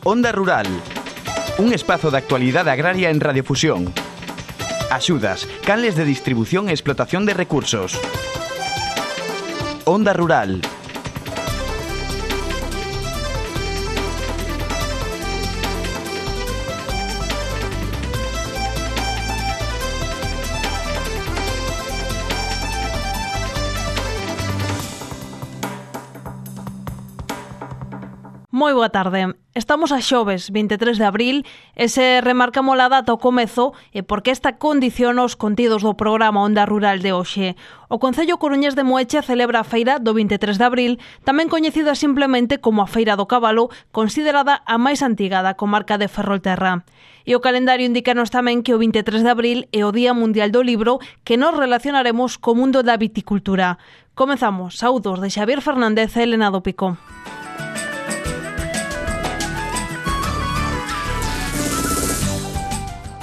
Onda Rural, un espazo de actualidade agraria en Radiofusión. Axudas, canles de distribución e explotación de recursos. Onda Rural. Moi boa tarde. Estamos a xoves, 23 de abril, e se remarcamos a data ao comezo e porque esta condiciona os contidos do programa Onda Rural de hoxe. O Concello coruñés de Moeche celebra a feira do 23 de abril, tamén coñecida simplemente como a Feira do Cabalo, considerada a máis antiga da comarca de Ferrolterra. E o calendario indicanos tamén que o 23 de abril é o Día Mundial do Libro, que nos relacionaremos co mundo da viticultura. Comezamos. Saúdos de Xavier Fernández e Elena do Pico.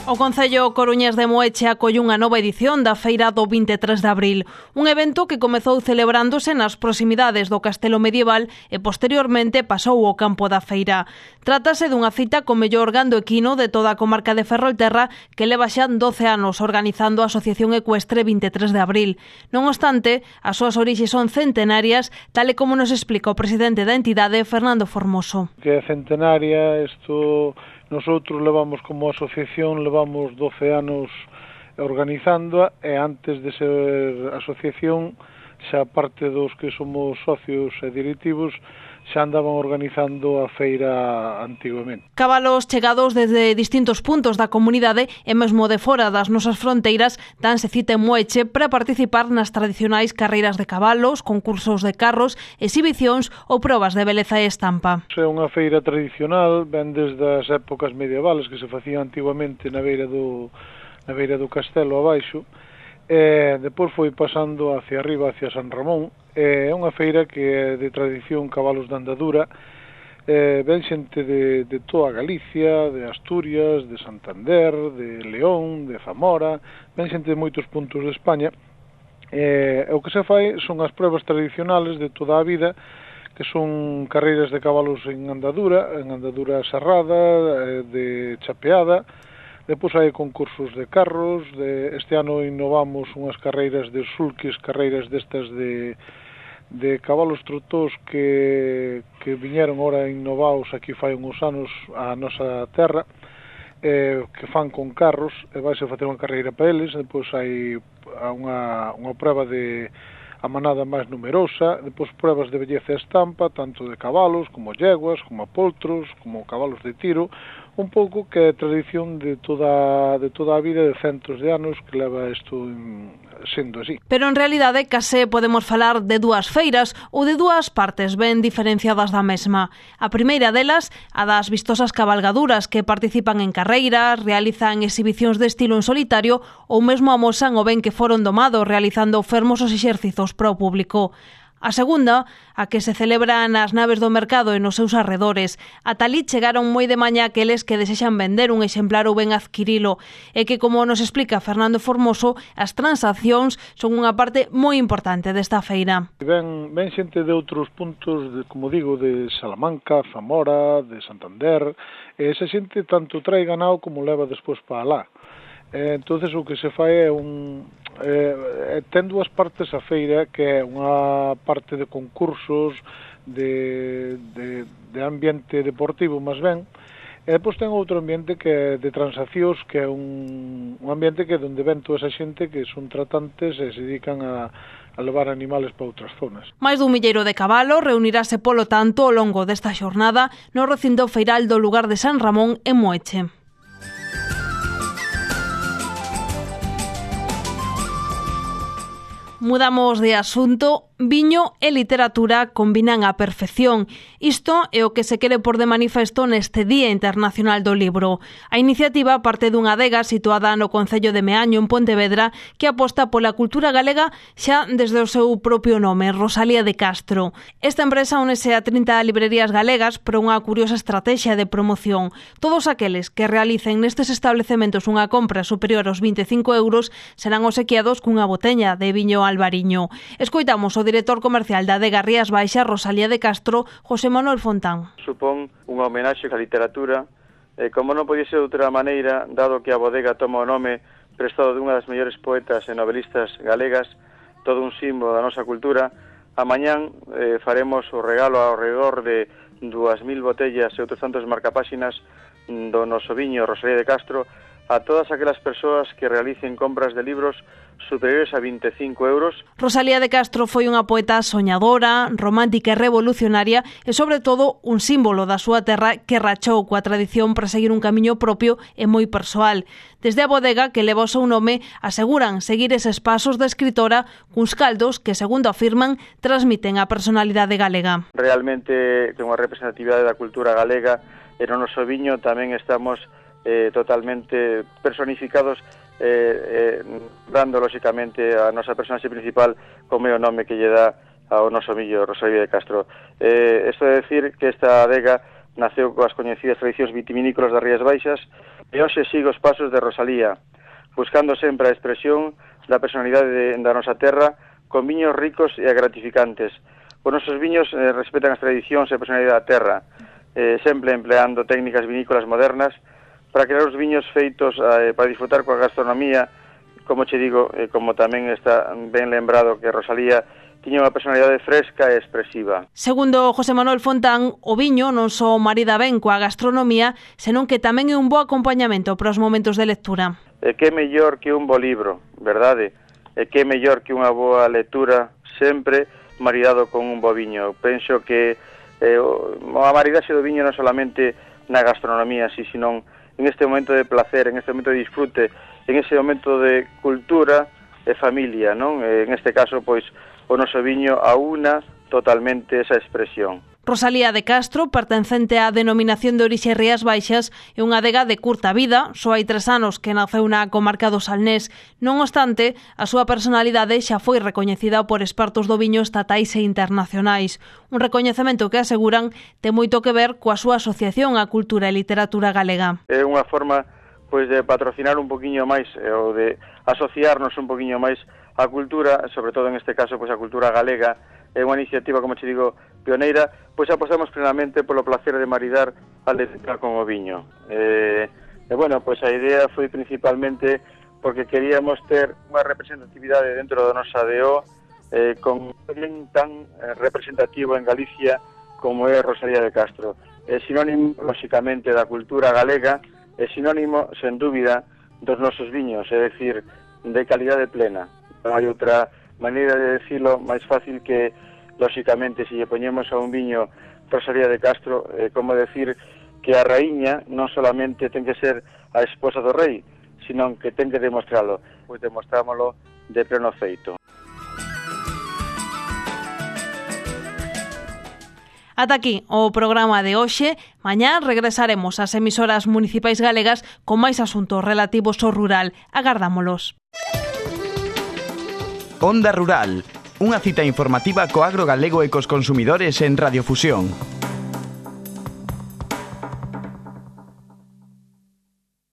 O Concello coruñés de Moeche acolle unha nova edición da Feira do 23 de abril, un evento que comezou celebrándose nas proximidades do Castelo Medieval e posteriormente pasou ao campo da feira. Trátase dunha cita co mellor gando equino de toda a comarca de Ferrolterra que leva xa 12 anos organizando a Asociación Ecuestre 23 de abril. Non obstante, as súas orixes son centenarias, tal e como nos explica o presidente da entidade, Fernando Formoso. Que é centenaria, isto... Nosotros levamos como asociación, levamos 12 anos organizándoa e antes de ser asociación, xa parte dos que somos socios e directivos, xa andaban organizando a feira antigamente. Cabalos chegados desde distintos puntos da comunidade e mesmo de fora das nosas fronteiras danse cita en Moeche para participar nas tradicionais carreiras de cabalos, concursos de carros, exhibicións ou probas de beleza e estampa. É unha feira tradicional, ven desde as épocas medievales que se facían antigamente na beira do castelo abaixo, e depois foi pasando hacia arriba, hacia San Ramón. É unha feira que é de tradición cabalos de andadura, ven xente de toda Galicia, de Asturias, de Santander, de León, de Zamora, ven xente de moitos puntos de España, e o que se fai son as pruebas tradicionales de toda a vida, que son carreiras de cabalos en andadura serrada, de chapeada. Depois hai concursos de carros, este ano innovamos unhas carreiras de sulquis, carreiras destas de cabalos trotós que viñeron ora innovados aquí fai uns anos a nosa terra, que fan con carros, e vaise facer unha carreira para eles. Depois hai unha prova de a manada máis numerosa, depois pruebas de belleza e estampa, tanto de cabalos, como yeguas, como poltros, como cabalos de tiro, un pouco que é tradición de toda a vida de centos de anos que leva isto sendo así. Pero en realidade case podemos falar de dúas feiras ou de dúas partes ben diferenciadas da mesma. A primeira delas, a das vistosas cabalgaduras que participan en carreiras, realizan exhibicións de estilo en solitario ou mesmo amosan o ben que foron domados realizando fermosos exercizos para o público. A segunda, a que se celebra nas naves do mercado e nos seus arredores. Ata ali chegaron moi de mañá aqueles que desexan vender un exemplar ou ben adquirilo, e que, como nos explica Fernando Formoso, as transaccións son unha parte moi importante desta feira. Ven xente de outros puntos, como digo, de Salamanca, Zamora, de Santander, e esa xente tanto trae ganado como leva despois para alá. Entonces o que se fai é ten dúas partes a feira, que é unha parte de concursos, de ambiente deportivo, máis ben, e depois ten outro ambiente que é de transaccións, que é un ambiente que é onde ven toda esa xente que son tratantes e se dedican a levar animales para outras zonas. Mais dun milleiro de cabalos reunirase polo tanto ao longo desta xornada no recinto feiral do lugar de San Ramón en Moeche. Mudamos de asunto. Viño e literatura combinan á perfección. Isto é o que se quere por de manifesto neste Día Internacional do Libro. A iniciativa parte dunha adega situada no concello de Meaño, en Pontevedra, que aposta pola cultura galega xa desde o seu propio nome, Rosalía de Castro. Esta empresa únese a 30 librerías galegas por unha curiosa estrategia de promoción. Todos aqueles que realicen nestes establecementos unha compra superior aos 25 euros serán obsequiados cunha boteña de viño albariño. Escoitamos o director comercial da adega Rías Baixas, Rosalía de Castro, José Manuel Fontán. Supón unha homenaxe á literatura, como non podía ser de outra maneira, dado que a bodega toma o nome prestado dunha das mellores poetas e novelistas galegas, todo un símbolo da nosa cultura. Amañán faremos o regalo ao redor de 2.000 botellas e outros tantos marcapáxinas do noso viño Rosalía de Castro a todas aquelas persoas que realicen compras de libros superiores a 25 euros. Rosalía de Castro foi unha poeta soñadora, romántica e revolucionaria e, sobre todo, un símbolo da súa terra que rachou coa tradición para seguir un camiño propio e moi persoal. Desde a bodega que leva o seu nome, aseguran seguir eses pasos da escritora cuns caldos que, segundo afirman, transmiten a personalidade galega. Realmente ten unha representatividade da cultura galega e no noso viño tamén estamos totalmente personificados, dando lóxicamente a nosa personaxe principal como é o nome que lle dá ao noso viño Rosalía de Castro. Isto é decir que esta adega naceu coas coñecidas tradicións vitivinícolas das Rías Baixas e hoxe sigue os pasos de Rosalía, buscando sempre a expresión da personalidade da nosa terra con viños ricos e gratificantes. Os nosos viños respetan as tradicións e a personalidade da terra, sempre empleando técnicas vinícolas modernas para crear os viños feitos para disfrutar coa gastronomía, como che digo, como tamén está ben lembrado que Rosalía tiña unha personalidade fresca e expresiva. Segundo José Manuel Fontán, o viño non só marida ben coa gastronomía, senón que tamén é un bo acompañamento para os momentos de lectura. E que mellor que un bo libro, verdade? E que mellor que unha boa lectura sempre maridado con un bo viño. Penso que a maridaxe do viño non solamente na gastronomía, sino en este momento de placer, en este momento de disfrute, en ese momento de cultura e familia, non? En este caso, pois, o noso viño aúna totalmente esa expresión. Rosalía de Castro, pertencente á denominación de orixe Rías Baixas, é unha adega de curta vida, só hai 3 anos que naceu na comarca do Salnés. Non obstante, a súa personalidade xa foi recoñecida por expertos do viño estatais e internacionais. Un recoñecemento que aseguran ten moito que ver coa súa asociación á cultura e literatura galega. É unha forma pois de patrocinar un poquinho máis ou de asociarnos un poquinho máis á cultura, sobre todo en este caso pois a cultura galega. É unha iniciativa, como te digo, pioneira, pois apostamos plenamente polo placer de maridar a letra con o viño. Bueno, pois a idea foi principalmente porque queríamos ter unha representatividade dentro da nosa ADO con alguén tan representativo en Galicia como é Rosalía de Castro. É sinónimo, lóxicamente, da cultura galega, é sinónimo, sen dúbida, dos nosos viños, é dicir, de calidade plena. Non hai outra maneira de decirlo máis fácil que, lóxicamente, se lle poñemos a un viño Rosalía de Castro, como decir que a raíña non solamente ten que ser a esposa do rei, sino que ten que demostralo. Pois demostrámoslo de pleno feito. Ata aquí o programa de hoxe. Mañá regresaremos ás emisoras municipais galegas con máis asuntos relativos ao rural. Agardámolos. Onda Rural, unha cita informativa co agro galego e cos consumidores en Radiofusión.